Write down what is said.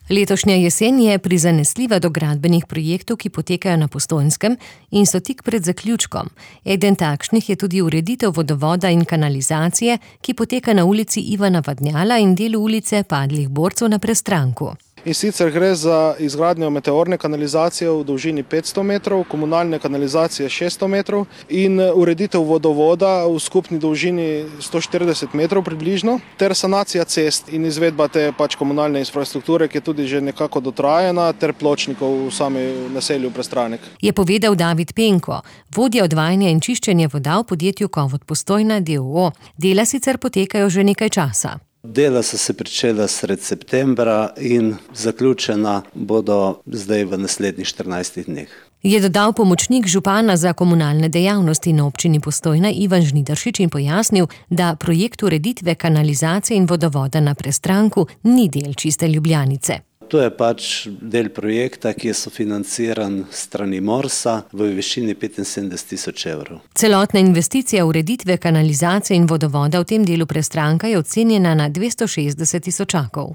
Letošnja jesen je prizanesljiva do gradbenih projektov, ki potekajo na Postojnskem in so tik pred zaključkom. Eden takšnih je tudi ureditev vodovoda in kanalizacije, ki poteka na ulici Ivana Vadnjala in delu ulice Padlih borcev na Prestranku. In sicer gre za izgradnjo meteorne kanalizacije v dolžini 500 metrov, komunalne kanalizacije 600 metrov in ureditev vodovoda v skupni dolžini 140 metrov približno, ter sanacija cest in izvedba te komunalne infrastrukture, ki je tudi že nekako dotrajana, ter pločnikov v sami naselju Prestranek. Je povedal David Penko, vodja odvajanja in čiščenja voda v podjetju Kovod Postojna d.o.o. Dela sicer potekajo že nekaj časa. Dela so se pričela sred septembra in zaključena bodo zdaj v naslednjih 14 dneh. Je dodal pomočnik župana za komunalne dejavnosti na občini Postojna Ivan Žnidaršič in pojasnil, da projekt ureditve kanalizacije in vodovoda na Prestranku ni del Čiste Ljubljanice. To je del projekta, ki je sofinanciran s strani Morsa v višini 75.000 evrov. Celotna investicija ureditve kanalizacije in vodovoda v tem delu Prestranka je ocenjena na 260 tisočakov.